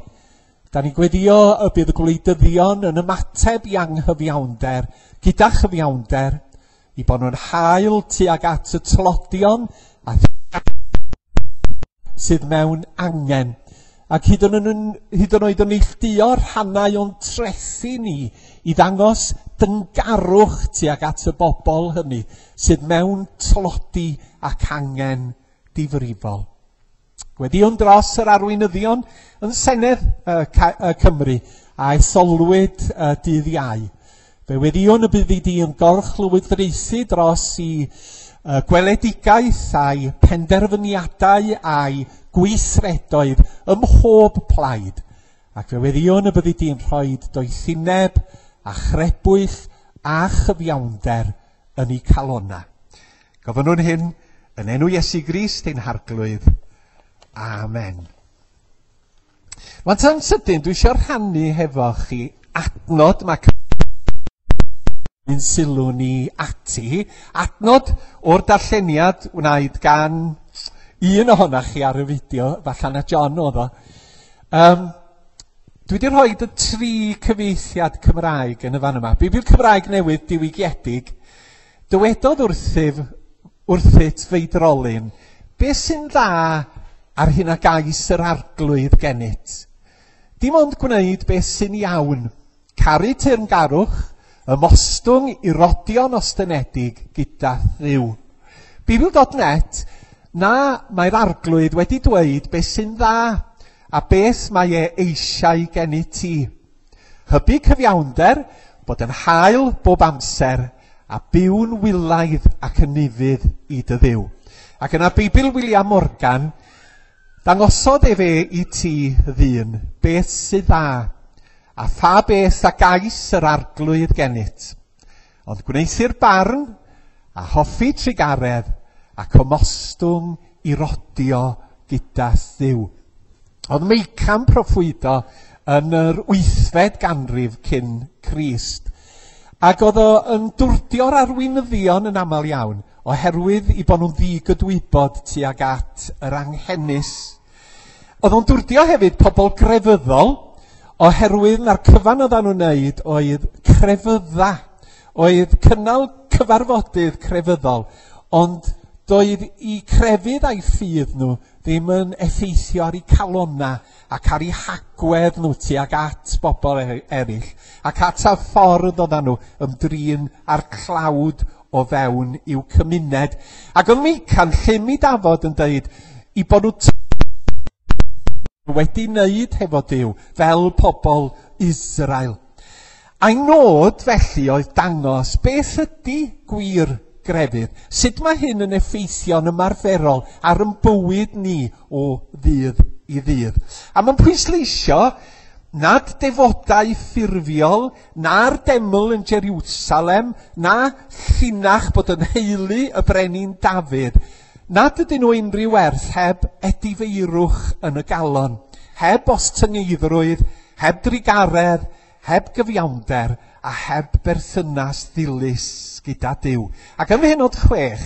[SPEAKER 1] Da ni'n gweddio y bydd y gwleidyddion yn ymateb i anghyfiawnder, gyda chyfiawnder, i bod nhw'n hael tuag at y tlodion a sydd mewn angen. Ac hyd yn oed yn neilltuo rhannau o'n trethi ni i ddangos dyngarwch tuag at y bobl hynny sydd mewn tlodi ac angen difrifol. Gweddïwn dros yr arweinyddion yn Senedd Cymru a etholwyd dydd Iau. Fe weddïwn y byddi di yn gorchlywodraethu dros i gweledigaeth a'i penderfyniadau a'i gweithredoedd ym mhob plaid. Ac fe weddïwn y byddi di'n rhoi doethineb a chrebwyll a chyfiawnder yn eu calonnau. Gofynnwn hyn yn enw Iesu Grist ein Harglwydd. Amen. Wan ta'n sydyn, dwi eisiau rhannu hefo chi adnod mae yn sylw ni ati. Adnod o'r darlleniad wnaed gan un ohonoch chi ar y fideo, falle na John oedd o. Dwi wedi rhoi y 3 cyfieithiad Cymraeg yn y fan yma. Beibl Cymraeg Newydd diwygiedig. Dywedodd wrthyt feidrolyn, beth sy'n dda ar hyn a gais yr arglwydd gennyt? Dim ond gwneud beth sy'n iawn, caru teyrngarwch, ymostwng i rodion ostynedig gyda Dduw. Beibl.net, na, mae'r arglwydd wedi dweud beth sy'n dda a beth mae e eisiau gennyt ti. Hybu cyfiawnder, bod yn hael bob amser, a byw'n wylaidd ac yn ufudd i dy Dduw. Ac yna Beibl William Morgan, dangosodd efe i ti ddyn beth sydd dda, a pha beth a gais yr arglwydd gennyt. Ond gwneuthur barn, a hoffi trugaredd, ac ymostwng i rodio gyda Dduw. Oedd Meica'n proffwydo yn yr 8fed ganrif cyn Crist. Ac oedd o yn dwrdio'r arweinyddion yn aml iawn, oherwydd i bod nhw'n ddigydwybod tuag at yr anghenus. Oedd o'n dwrdio hefyd pobl grefyddol, oherwydd na'r cyfan oedden nhw'n wneud oedd crefydda, oedd cynnal cyfarfodydd crefyddol, ond doedd i crefydd a'i ffydd nhw ddim yn effeithio ar eu calonna ac ar eu hagwedd nhw tuag at bobl eraill, ac at y ffordd oedden nhw ymdrin â'r tlawd o fewn i'w cymuned. Ac oedd Meica'n llym i dafod yn dweud i bod nhw wedi wneud hefo Duw fel pobl Israel. A'i nod felly oedd dangos beth ydy gwir grefydd. Sut mae hyn yn effeithio'n ymarferol ar ein bywyd ni o ddydd i ddydd. A mae'n pwysleisio nad defodau ffurfiol, na'r deml yn Jerusalem, na llinach bod yn heulu y brenin Dafydd, nad ydyn nhw unrhyw werth heb edifeirwch yn y galon, heb ostyngeiddrwydd, heb drugaredd, heb gyfiawnder, a heb berthynas ddilys gyda Duw. Ac ym mhennod 6,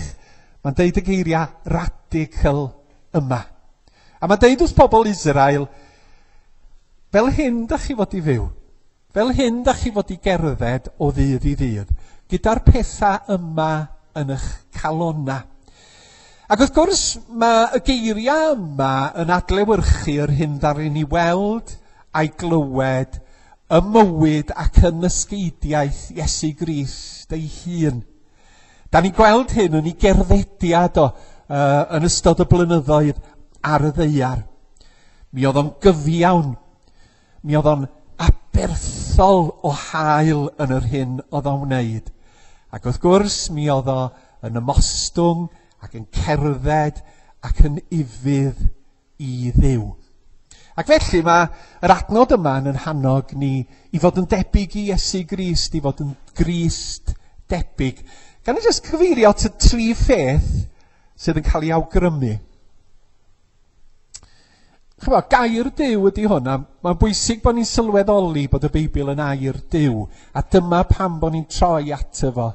[SPEAKER 1] mae'n deud y geiriau radical yma. A mae'n deud wrth pobl Israel, fel hyn da chi fod i fyw, fel hyn da chi fod i gerdded o ddydd i ddydd, gyda'r pethau yma yn eich calonna. Ac wrth gwrs, mae y geiriau yma yn adlewyrchu yr hyn ddaru ni weld a'i glywed y mywyd ac yn ysgeidiaeth Iesu Grist ei hun. Da ni'n gweld hyn yn ei gerddediad o yn ystod y blynyddoedd ar y ddaear. Mi oedd o'n gyfiawn, mi oedd o'n aberthol o hael yn yr hyn oedd o'n wneud. Ac wrth gwrs, mi oedd o yn ymostwng ac yn cerdded ac yn ufudd i Dduw. Ac felly mae yr adnod yma yn hannog ni i fod yn debyg i Iesu Grist, i fod yn Grist debyg. Gan i jyst cyfeirio at y 3 pheth sydd yn cael ei awgrymu. Chymod, gair Duw ydy hwn, a mae'n bwysig bod ni'n sylweddoli bod y Beibl yn air Duw, a dyma pam bod ni'n troi ato fo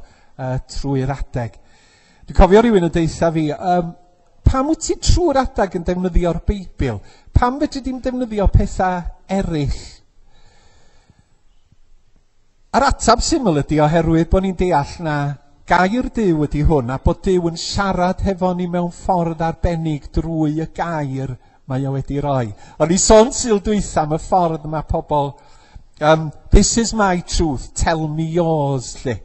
[SPEAKER 1] trwy'r adeg. Dwi'n cofio rhywun yn deutha fi, pam wyt ti trwy'r adeg yn defnyddio'r Beibl? Pam fedri di'm defnyddio pethau eraill? A'r ateb syml ydy oherwydd bod ni'n deall na gair Duw ydy hwn, a bod Duw yn siarad hefo ni mewn ffordd arbennig drwy y gair mae o wedi roi. O'n i sôn Sul dwytha am y ffordd mae pobl This is my truth, tell me yours, lle.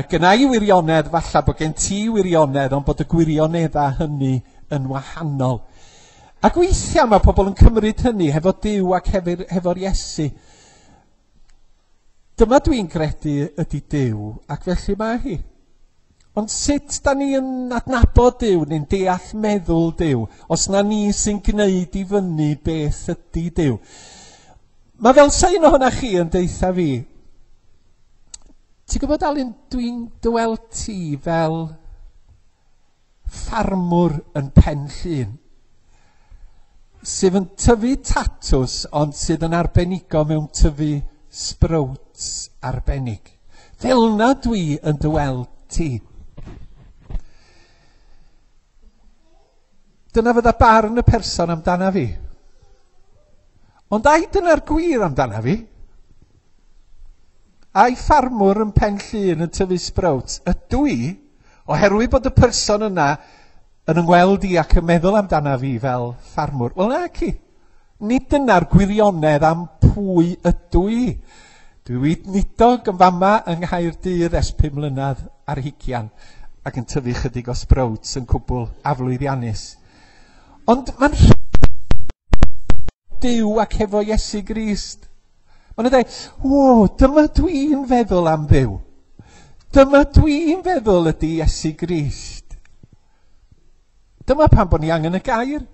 [SPEAKER 1] Gynna i wirionedd, falle bod gen ti wirionedd, ond bod y gwirioneddau hynny yn wahanol. Ac weithiau mae pobl yn cymryd hynny hefo Duw ac hefo'r Iesu. Dyma dwi'n credu ydy Duw, ac felly mae hi. Ond sut da ni yn adnabod Duw neu'n deall meddwl Duw, os na ni sy'n gwneud i fyny beth ydy Duw? Mae fel sa un ohonoch chi yn deutha fi, ti'n gwybod Alun, dwi'n dy weld ti fel ffarmwr yn Pen Llŷn, sydd yn tyfu tatws ond sydd yn arbenigo mewn tyfu sprouts arbennig. Fel na dwi yn dy weld ti. Dyna fydda barn y person amdana fi. Ond ai dyna'r gwir amdana fi? Ai ffarmwr yn Pen Llŷn yn tyfu sprouts ydw i, oherwydd bod y person yna yn yngweld i ac yn meddwl amdana fi fel ffarmwr? Wel naci. Nid dyna'r gwirionedd am pwy ydw i. Dwi weinidog yn fama yng Nghaerdydd ers 5 mlynedd ar hugian ac yn tyfu chydig o sprouts yn cwbl aflwyddiannus. Ond mae'n Duw ac hefo Iesu Grist. Maen nhw'n dweud, o, dyma dwi'n feddwl am Dduw. Dyma dwi'n feddwl ydy Iesu Grist. Dyma pam bod ni angen y gair.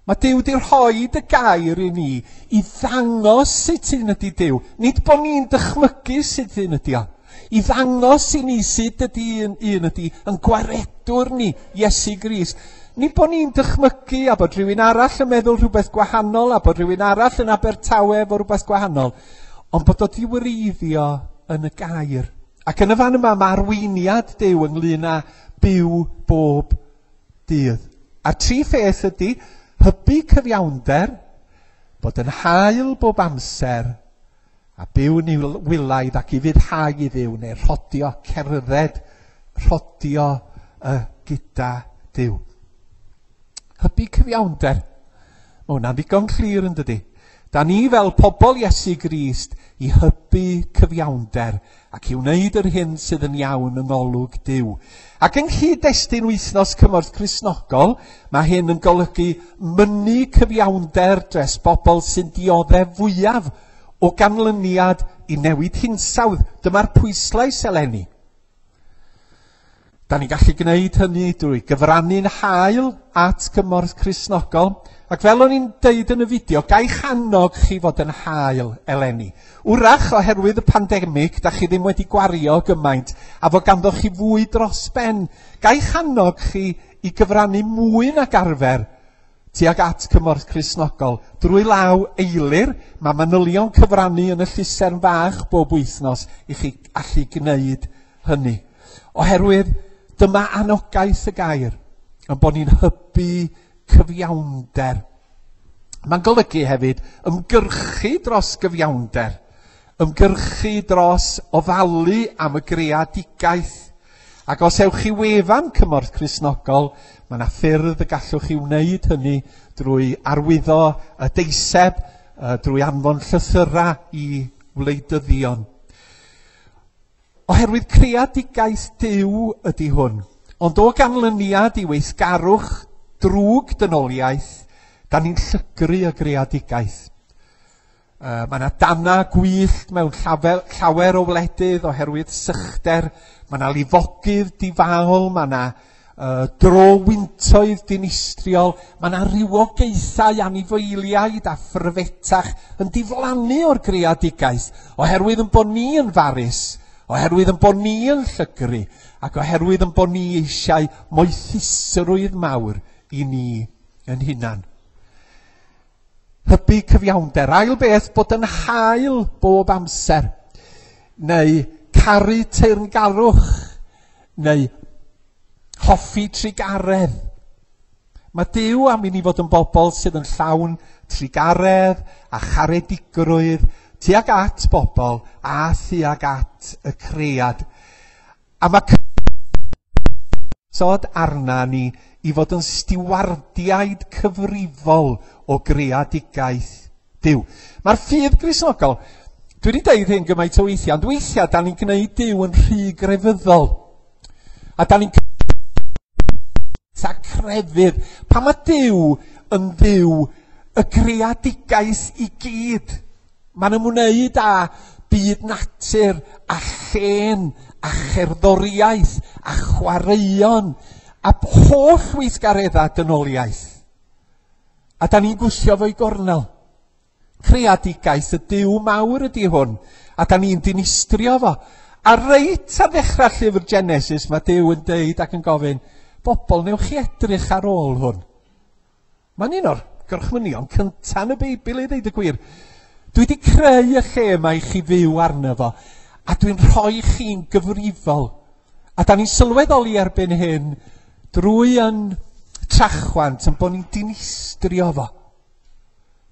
[SPEAKER 1] Mae Duw wedi rhoi y gair i ni i ddangos sut un ydy Duw. Nid bod ni'n dychmygu sut un ydy o. I ddangos i ni sut ydy un ydy yn gwaredwr ni, Iesu Grist. Nid bod ni'n dychmygu a bod rhywun arall yn meddwl rhywbeth gwahanol a bod rhywun arall yn Abertawe efo rhywbeth gwahanol, ond bod o 'di wreiddio yn y gair. Ac yn y fan yma mae arweiniad Duw ynglyn â byw bob dydd. A'r tri pheth ydy hybu cyfiawnder, bod yn hael bob amser, a byw'n wylaidd ac i ufuddhau i Dduw, neu rhodio, cerdded, rhodio gyda Duw. Hybu cyfiawnder. Mae hwnna'n ddigon clir yn dydy. Da ni fel pobl Iesu Grist i hybu cyfiawnder ac i wneud yr hyn sydd yn iawn yng ngolwg Duw. Ac yng nghyd-destun wythnos Cymorth Cristnogol, mae hyn yn golygu mynnu cyfiawnder dros bobl sy'n dioddef fwyaf o ganlyniad i newid hinsawdd. Dyma'r pwyslais eleni. Da ni'n gallu gwneud hynny drwy gyfrannu'n hael at Gymorth Cristnogol, ac fel o'n i'n deud yn y fideo, gai'ch annog chi fod yn hael eleni. Wrach, oherwydd y pandemig, da chi ddim wedi gwario gymaint, a fod ganddo chi fwy dros ben. Gai'ch annog chi i gyfrannu mwy nag arfer tuag at Cymorth Cristnogol. Drwy law Eilir, mae manylion cyfrannu yn y llusern fach bob wythnos i chi allu gwneud hynny. Oherwydd dyma anogaeth y gair, yn bod ni'n hybu cyfiawnder. Mae'n golygu hefyd ymgyrchu dros gyfiawnder, ymgyrchu dros ofalu am y greadigaeth. Ac os ewch chi wefan Cymorth Cristnogol, mae yna ffyrdd y gallwch chi wneud hynny drwy arwyddo y deiseb, drwy anfon llythyrau i wleidyddion. Oherwydd creadigaeth Duw ydy hwn, ond o ganlyniad i weithgarwch drwg dynoliaeth, da ni'n llygru y greadigaeth. Mae yna danna gwyllt mewn llawer o wledydd oherwydd sychder, mae yna lifogydd difaol, mae yna dro wyntoedd dinistriol, mae yna rywogaethau anifeiliaid a phryfetach yn diflannu o'r greadigaeth, oherwydd yn bod ni yn farus, oherwydd yn bod ni yn llygru, ac oherwydd yn bod ni eisiau moethusrwydd mawr i ni yn hunan. Hybu cyfiawnder. Ail beth, bod yn hael bob amser, neu caru teyrngarwch, neu hoffi trugaredd. Mae Duw am i ni fod yn bobl sydd yn llawn trugaredd a charedigrwydd tuag at bobl a thuag at y cread. A mae sod arna ni i fod yn stiwardiaid cyfrifol o greadigaeth Duw. Mae'r ffydd Gristnogol, dwi wedi deud hyn gymaint o weithiau, ond weithiau da ni'n gwneud Duw yn rhy grefyddol. A da ni'n sa crefydd. Pan mae Duw yn Dduw y greadigaeth i gyd. Mae'n ymwneud â byd natur a llên a cherddoriaeth a chwaraeon a holl weithgareddau dynoliaeth. A da ni'n gwthio fo i gornel. Creadigaeth y Duw mawr ydy hwn, a da ni'n dinistrio fo. A reit ar ddechrau llyfr Genesis mae Duw yn deud ac yn gofyn, bobl, newch chi edrych ar ôl hwn. Mae'n un o'r gorchmynion cyntaf yn y Beibl i ddeud y gwir. Dwi wedi creu y lle yma i chi fyw arno fo, a dwi'n rhoi chi'n gyfrifol. A da ni'n sylweddoli erbyn hyn drwy yn trachwant yn bod ni'n dinistrio fo.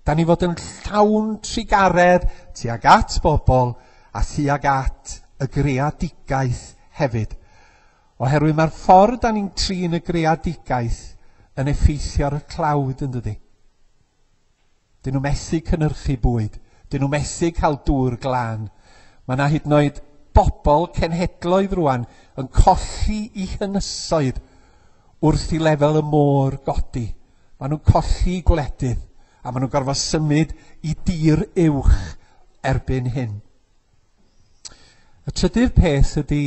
[SPEAKER 1] Da ni fod yn llawn trugaredd tuag at bobl a thuag at y greadigaeth hefyd. Oherwydd mae'r ffordd da ni'n trin y greadigaeth yn effeithio ar y tlawd yn dydi. Dyn nhw methu cynhyrchu bwyd. Dyn nhw methu cael dŵr glân. Mae yna hyd yn oed bobl cenhedloedd rwan yn colli i hynysoedd wrth i lefel y môr godi. Maen nhw'n colli gwledydd a maen nhw'n gorfod symud i dir uwch erbyn hyn. Y trydydd peth ydy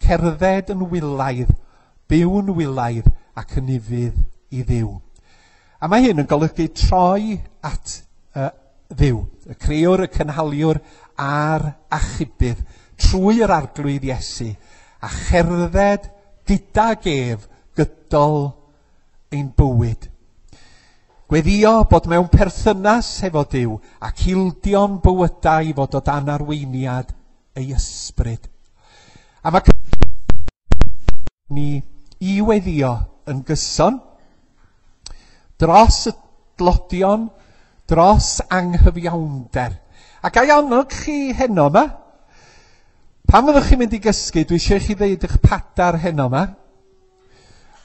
[SPEAKER 1] cerdded yn wylaidd, byw'n wylaidd ac yn ufudd i Dduw. A mae hyn yn golygu troi at Dduw, y crëwr, y cynhaliwr a'r achubydd, trwy yr Arglwydd Iesu, a cherdded gydag ef gydol ein bywyd. Gweddio bod mewn perthynas hefo Duw ac ildio'n bywydau i fod o dan arweiniad ei ysbryd. A mae ni i weddio yn gyson dros y dlodion, dros anghyfiawnder. Ac ai annog chi heno yma? Pan fyddwch chi'n mynd i gysgu, dwi eisiau i chi ddeud eich padar heno yma.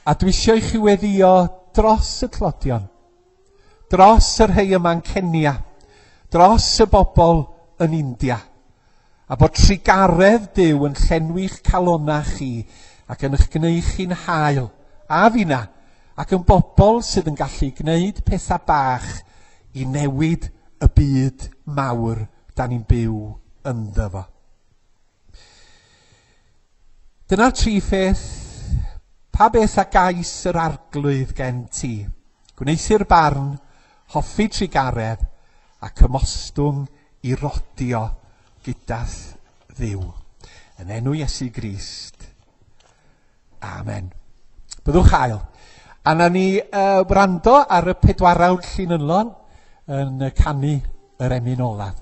[SPEAKER 1] A dwi eisiau i chi weddio dros y tlodion, dros y rhai yma'n Kenya, dros y bobl yn India, a bod trugaredd Duw yn llenwi'ch calonnau chi ac yn eich gwneud chi'n hael, a finna, ac yn bobl sydd yn gallu gwneud pethau bach i newid y byd mawr da ni'n byw ynddo fo. Dyna'r tri pheth. Pa beth a gais yr Arglwydd gen ti? Gwneuthur barn, hoffi trugaredd, ac ymostwng i rodio gyda'th Dduw. Yn enw Iesu Grist. Amen. Byddwch hael. A na ni wrando ar y pedwarawd llinynlon yn canu yr emyn olaf.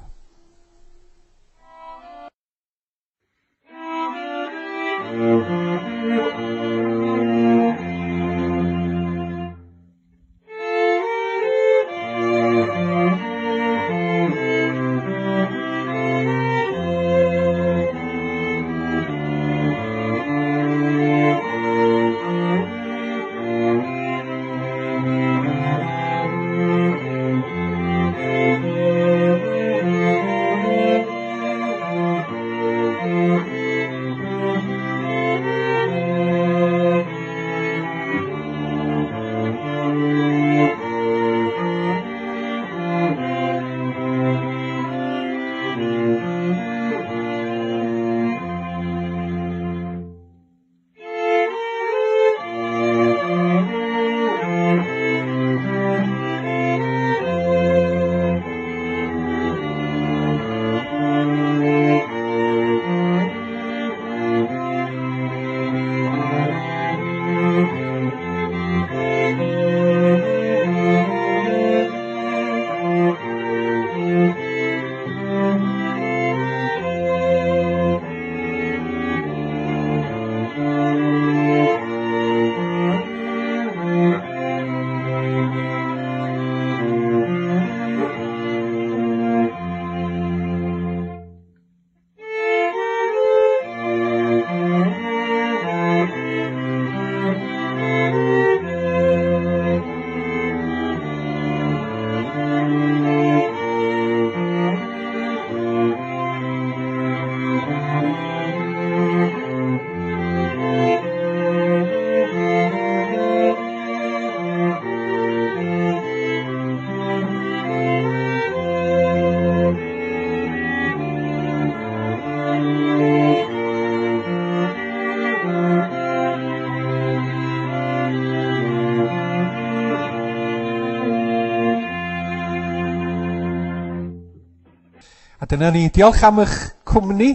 [SPEAKER 1] A dyna ni, diolch am eich cwmni,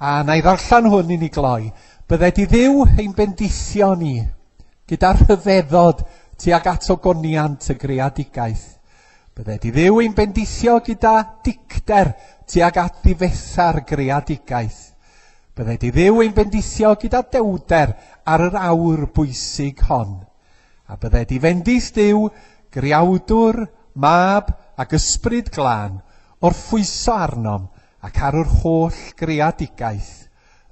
[SPEAKER 1] a na i ddarllen hwn i ni gloi. Bydded i Dduw ein bendithio ni, gyda rhyfeddod tuag at ogoniant y greadigaeth. Bydded i Dduw ein bendithio gyda dicter tuag at ddifetha'r greadigaeth. Bydded i Dduw ein bendithio gyda dewder ar yr awr bwysig hon. A bydded i fendith Duw, greawdwr, mab ac ysbryd glân, orffwyso arnom ac ar yr holl greadigaeth,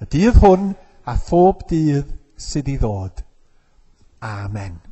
[SPEAKER 1] y dydd hwn a phob dydd sydd i ddod. Amen.